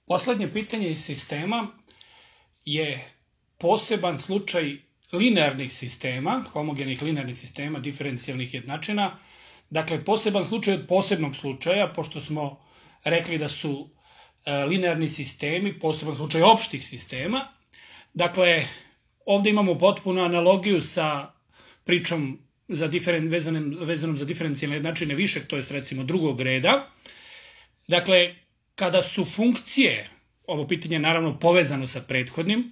Poslednje pitanje iz sistema je poseban slučaj linearnih sistema, homogenih linearnih sistema, diferencijalnih jednačina. Dakle, poseban slučaj od posebnog slučaja, pošto smo rekli da su linearni sistemi poseban slučaj opštih sistema. Dakle, ovde imamo potpunu analogiju sa pričom vezanom za diferencijalne jednačine višeg, to jest recimo drugog reda. Dakle, kada su funkcije, ovo pitanje je naravno povezano sa prethodnim,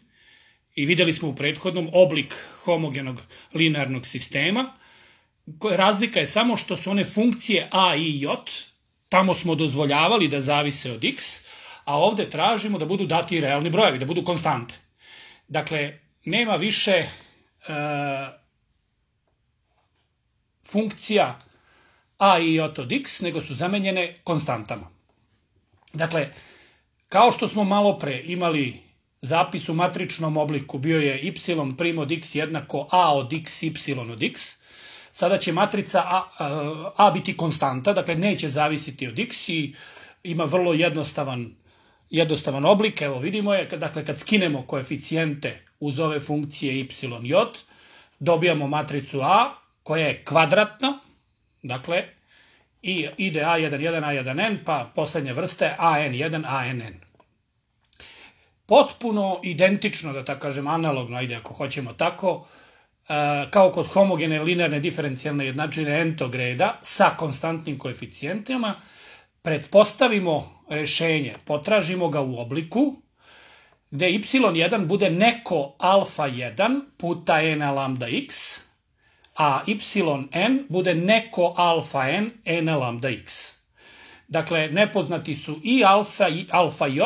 i videli smo u prethodnom oblik homogenog linearnog sistema, razlika je samo što su one funkcije a i j, tamo smo dozvoljavali da zavise od x, a ovde tražimo da budu dati realni brojevi, da budu konstante. Dakle, nema više funkcija a i j od x, nego su zamenjene konstantama. Dakle, kao što smo malo pre imali zapis u matričnom obliku, bio je y' od x jednako a od x, y od x, sada će matrica a biti konstanta, dakle neće zavisiti od x i ima vrlo jednostavan oblik. Evo vidimo je, dakle kad skinemo koeficijente uz ove funkcije y, j, dobijamo matricu a koja je kvadratna, dakle i ide a1, 1, a1n, pa poslednje vrste an1, ann. Potpuno identično, da tako kažem, analogno, ajde ako hoćemo tako, kao kod homogene linearne diferencijalne jednačine n-tog reda sa konstantnim koeficijentima, pretpostavimo rešenje, potražimo ga u obliku gde y1 bude neko alfa 1 puta n lambda x, a yn bude neko alfa n lambda x. Dakle, nepoznati su i alfa j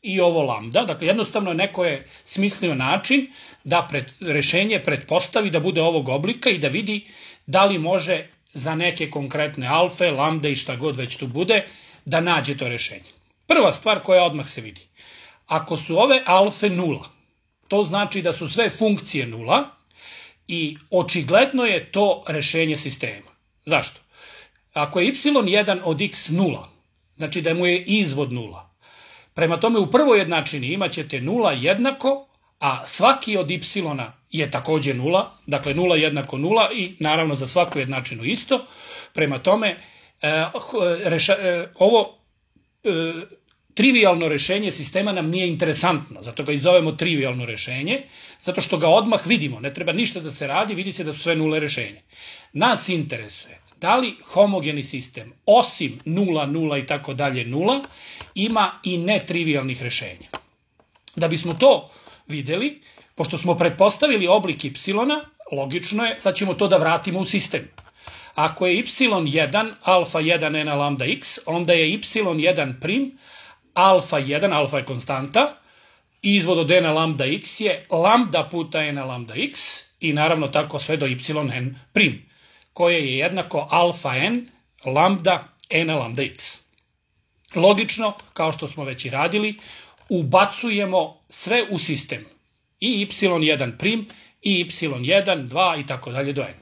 i ovo lambda. Dakle, jednostavno neko je smislio način da rešenje pretpostavi da bude ovog oblika i da vidi da li može za neke konkretne alfe, lambda i šta god već tu bude, da nađe to rešenje. Prva stvar koja odmah se vidi. Ako su ove alfe nula, to znači da su sve funkcije nula i očigledno je to rešenje sistema. Zašto? Ako je y1 od x nula, znači da mu je izvod nula. Prema tome u prvoj jednačini imat ćete nula jednako, a svaki od y je takođe nula, dakle nula jednako nula i naravno za svaku jednačinu isto. Prema tome ovo trivialno rešenje sistema nam nije interesantno, zato ga i zovemo trivialno rešenje, zato što ga odmah vidimo, ne treba ništa da se radi, vidi se da su sve nule rešenje. Nas interesuje da li homogeni sistem, osim 0, 0 i tako dalje 0, ima i netrivialnih rešenja. Da bismo to videli, pošto smo pretpostavili oblik y, logično je, sad ćemo to da vratimo u sistem. Ako je y1 alfa 1 n lambda x, onda je y1 prim alfa 1, alfa je konstanta, izvod od n lambda x je lambda puta n lambda x i naravno tako sve do yn prim, koje je jednako alfa n lambda n lambda x. Logično, kao što smo već i radili, ubacujemo sve u sistem. I y1 prim, i y1, 2 i tako dalje do n.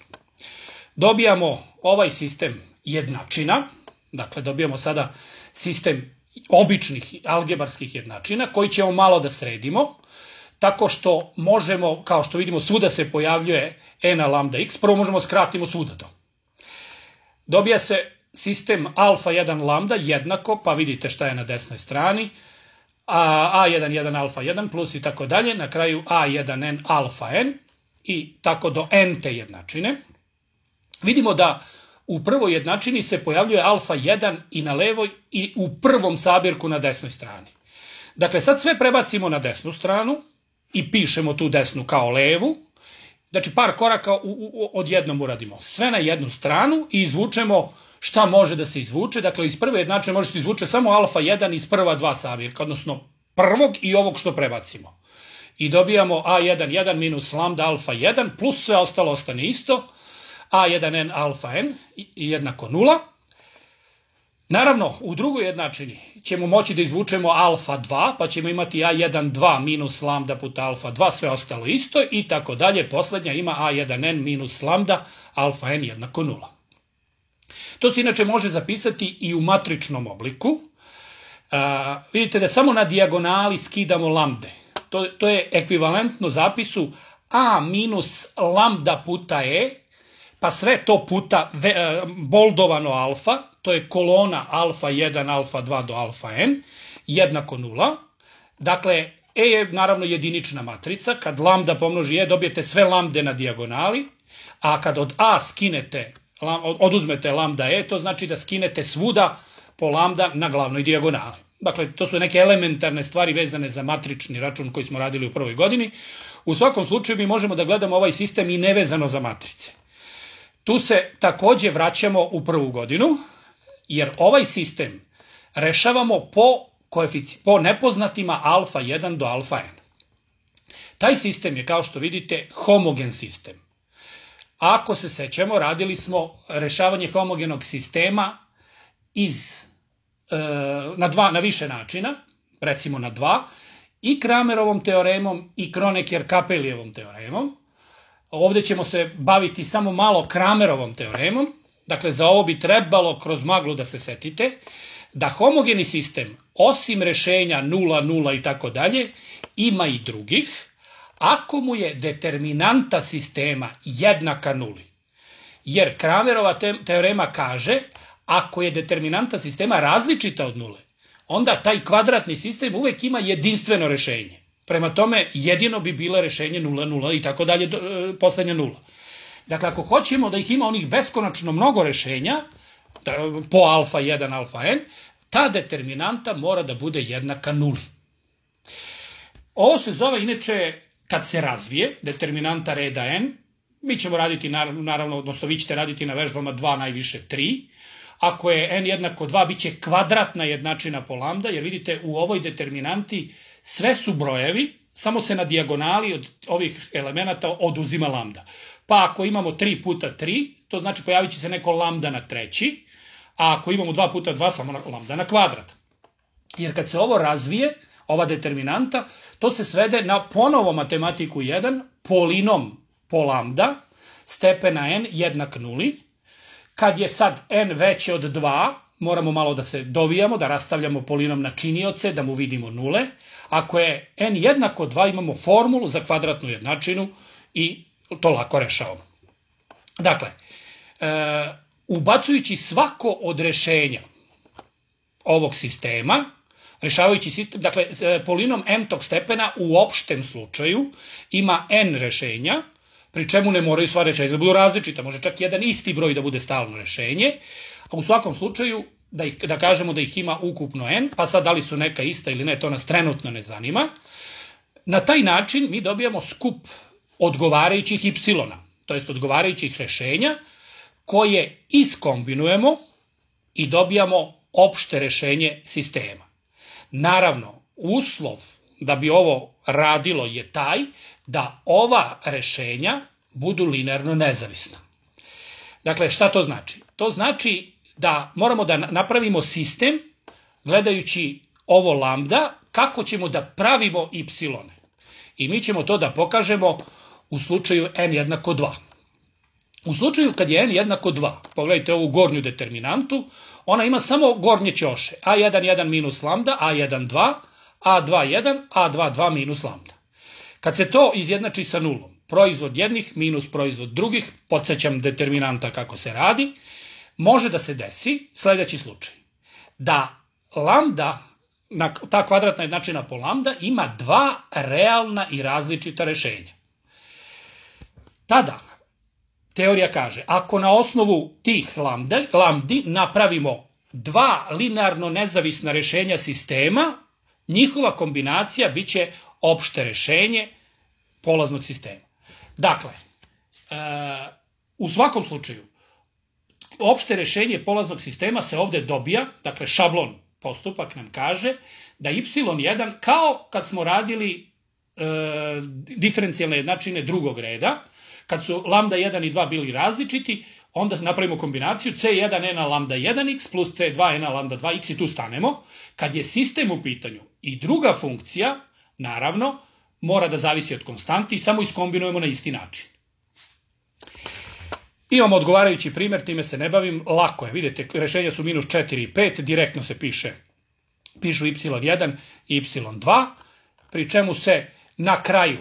Dobijamo ovaj sistem jednačina, dakle dobijamo sada sistem običnih algebarskih jednačina koji ćemo malo da sredimo, tako što možemo, kao što vidimo, svuda se pojavljuje n lambda x, prvo možemo skratimo svuda to. Dobija se sistem alfa 1 lambda jednako, pa vidite šta je na desnoj strani, a1, 1 alfa 1 plus i tako dalje, na kraju a1n alfa n i tako do n te jednačine. Vidimo da u prvoj jednačini se pojavljuje alfa 1 i na levoj i u prvom sabirku na desnoj strani. Dakle, sad sve prebacimo na desnu stranu i pišemo tu desnu kao levu. Znači, par koraka odjednom uradimo. Sve na jednu stranu i izvučemo šta može da se izvuče. Dakle, iz prve jednačine može se izvuče samo alfa 1 iz prva dva sabirka, odnosno prvog i ovog što prebacimo. I dobijamo a1, 1 minus lambda alfa 1 plus sve ostalo ostane isto. a1n alfa n jednako 0. Naravno, u drugoj jednačini ćemo moći da izvučemo alfa 2, pa ćemo imati a1, 2 minus lambda puta alfa 2, sve ostalo isto i tako dalje. Poslednja ima a1n minus lambda alfa n jednako 0. To se inače može zapisati i u matričnom obliku. Vidite da samo na dijagonali skidamo lambde. To je ekvivalentno zapisu a minus lambda puta e, pa sve to puta boldovano alfa, to je kolona alfa 1, alfa 2 do alfa n, jednako 0. Dakle, e je naravno jedinična matrica, kad lambda pomnoži e dobijete sve lambde na dijagonali, a kad od a oduzmete lambda e, to znači da skinete svuda po lambda na glavnoj dijagonali. Dakle, to su neke elementarne stvari vezane za matrični račun koji smo radili u prvoj godini. U svakom slučaju mi možemo da gledamo ovaj sistem i nevezano za matrice. Tu se takođe vraćamo u prvu godinu, jer ovaj sistem rešavamo po nepoznatima alfa 1 do alfa n. Taj sistem je, kao što vidite, homogen sistem. Ako se sećamo, radili smo rešavanje homogenog sistema na više načina, recimo na 2, i Kramerovom teoremom i Kronecker-Kapelijevom teoremom. Ovde ćemo se baviti samo malo Kramerovom teoremom. Dakle, za ovo bi trebalo kroz maglu da se setite da homogeni sistem, osim rešenja 0, 0 i tako dalje, ima i drugih, ako mu je determinanta sistema jednaka nuli. Jer Kramerova teorema kaže, ako je determinanta sistema različita od nule, onda taj kvadratni sistem uvek ima jedinstveno rešenje. Prema tome, jedino bi bila rešenje 0, 0 i tako dalje, poslednja nula. Dakle, ako hoćemo da ih ima onih beskonačno mnogo rešenja, po alfa 1, alfa n, ta determinanta mora da bude jednaka nuli. Ovo se zove, inače, kad se razvije, determinanta reda n, mi ćemo raditi, naravno, odnosno vi ćete raditi na vežbama 2, najviše 3, ako je n jednako 2, bit će kvadratna jednačina po lambda, jer vidite u ovoj determinanti sve su brojevi, samo se na dijagonali od ovih elemenata oduzima lambda. Pa ako imamo 3 puta 3, to znači pojavit će se neko lambda na treći, a ako imamo 2 puta 2, samo lambda na kvadrat. Jer kad se ovo razvije, ova determinanta, to se svede na ponovo matematiku 1, polinom po lambda, stepena n jednak nuli. Kad je sad n veće od 2, moramo malo da se dovijamo, da rastavljamo polinom na činioce, da mu vidimo nule. Ako je n jednako 2, imamo formulu za kvadratnu jednačinu i to lako rešavamo. Dakle, ubacujući svako od rešenja ovog sistema, rešavajući sistem, dakle, polinom n-tog stepena u opštem slučaju ima n rešenja, pri čemu ne moraju sva rešenja da budu različita, može čak jedan isti broj da bude stalno rešenje, a u svakom slučaju da kažemo da ih ima ukupno n, pa sad da li su neka ista ili ne, to nas trenutno ne zanima. Na taj način mi dobijamo skup odgovarajućih y-a, to jest odgovarajućih rešenja, koje iskombinujemo i dobijamo opšte rešenje sistema. Naravno, uslov da bi ovo radilo je taj da ova rešenja budu linearno nezavisna. Dakle, šta to znači? To znači da moramo da napravimo sistem, gledajući ovo lambda, kako ćemo da pravimo y-one. I mi ćemo to da pokažemo u slučaju n jednako 2. U slučaju kad je n jednako 2, pogledajte ovu gornju determinantu, ona ima samo gornje ćoše, a1, 1 minus lambda, a1, 2, a2, 1, a2, 2 minus lambda. Kad se to izjednači sa nulom, proizvod jednih minus proizvod drugih, podsjećam determinanta kako se radi, može da se desi sledeći slučaj. Da lambda, ta kvadratna jednačina po lambda, ima dva realna i različita rešenja. Tada teorija kaže, ako na osnovu tih lambdi napravimo dva linearno nezavisna rešenja sistema, njihova kombinacija biće opšte rešenje polaznog sistema. Dakle, u svakom slučaju, opšte rešenje polaznog sistema se ovde dobija, dakle šablon postupak nam kaže da y1 kao kad smo radili diferencijalne jednačine drugog reda, kad su lambda 1 i 2 bili različiti, onda napravimo kombinaciju c1 na lambda 1x plus c2 na lambda 2x i tu stanemo. Kad je sistem u pitanju i druga funkcija, naravno, mora da zavisi od konstanti i samo iskombinujemo na isti način. Imamo odgovarajući primjer, time se ne bavim, lako je, vidite, rešenja su minus 4 i 5, direktno se piše pišu y1 i y2, pri čemu se na kraju,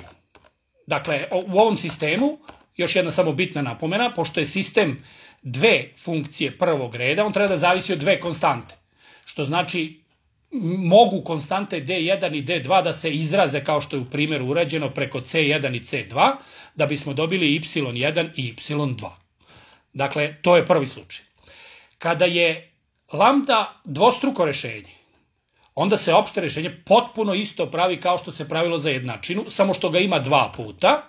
dakle u ovom sistemu, još jedna samo bitna napomena, pošto je sistem dve funkcije prvog reda, on treba da zavisi od dve konstante, što znači mogu konstante d1 i d2 da se izraze kao što je u primjeru urađeno preko c1 i c2, da bismo dobili y1 i y2. Dakle, to je prvi slučaj. Kada je lambda dvostruko rešenje, onda se opšte rešenje potpuno isto pravi kao što se pravilo za jednačinu, samo što ga ima dva puta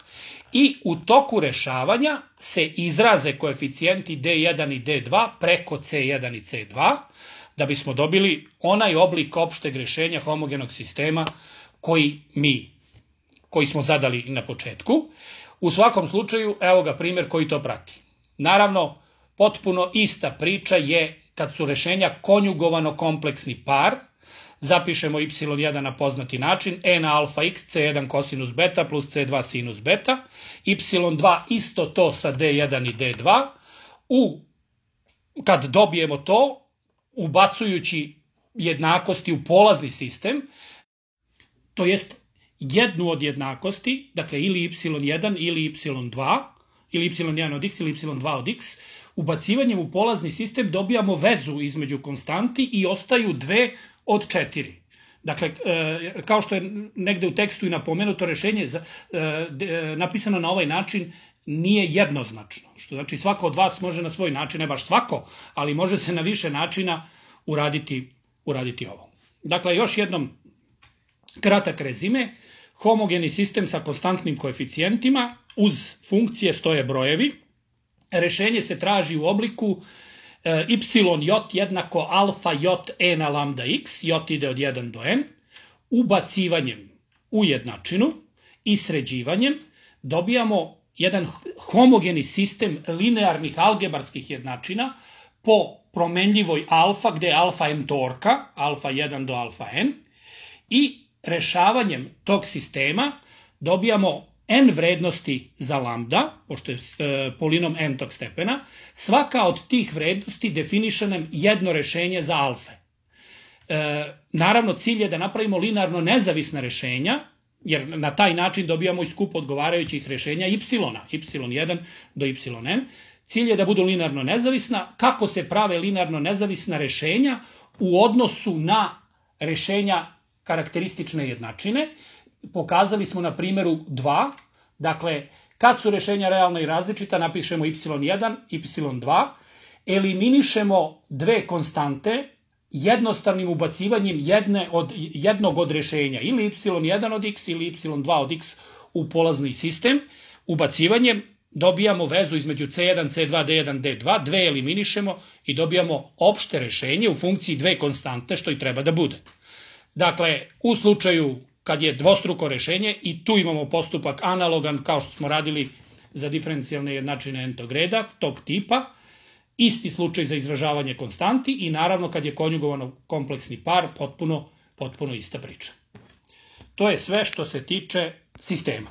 i u toku rešavanja se izraze koeficijenti d1 i d2 preko c1 i c2, da bismo dobili onaj oblik opšteg rešenja homogenog sistema koji smo zadali na početku. U svakom slučaju, evo ga primjer koji to prati. Naravno, potpuno ista priča je kad su rešenja konjugovano kompleksni par, zapišemo y1 na poznati način, e na alfa x, c1 kosinus beta plus c2 sinus beta, y2 isto to sa d1 i d2, kad dobijemo to, ubacujući jednakosti u polazni sistem, to jest jednu od jednakosti, dakle ili y1 ili y2, ili y1 od x ili y2 od x, ubacivanjem u polazni sistem dobijamo vezu između konstanti i ostaju dve od 4. Dakle, kao što je negde u tekstu i napomenuto, rešenje napisano na ovaj način nije jednoznačno. Što znači svako od vas može na svoj način, ne baš svako, ali može se na više načina uraditi ovo. Dakle, još jednom kratak rezime. Homogeni sistem sa konstantnim koeficijentima, uz funkcije stoje brojevi. Rešenje se traži u obliku y jednako alfa j e na lambda x, j ide od 1 do n, ubacivanjem u jednačinu i sređivanjem dobijamo jedan homogeni sistem linearnih algebarskih jednačina po promenljivoj alfa, gde je alfa n-torka, alfa 1 do alfa n, i rešavanjem tog sistema dobijamo n vrednosti za lambda, pošto je polinom n tog stepena, svaka od tih vrednosti definiše nam jedno rešenje za alfe. Naravno, cilj je da napravimo linearno nezavisna rešenja, jer na taj način dobijamo i skup odgovarajućih rešenja y1 do yn. Cilj je da budu linearno nezavisna. Kako se prave linearno nezavisna rešenja u odnosu na rešenja karakteristične jednačine? Pokazali smo na primjeru 2. Dakle, kad su rešenja realna i različita, napišemo y1, y2, eliminišemo dve konstante jednostavnim ubacivanjem jednog od rešenja, ili y1 od x ili y2 od x u polazni sistem. Ubacivanjem dobijamo vezu između c1, c2, d1, d2, dve eliminišemo i dobijamo opšte rešenje u funkciji dve konstante, što i treba da bude. Dakle, u slučaju kad je dvostruko rešenje, i tu imamo postupak analogan kao što smo radili za diferencijalne jednačine n-tog reda, tog tipa, isti slučaj za izražavanje konstanti i naravno kad je konjugovano kompleksni par, potpuno ista priča. To je sve što se tiče sistema.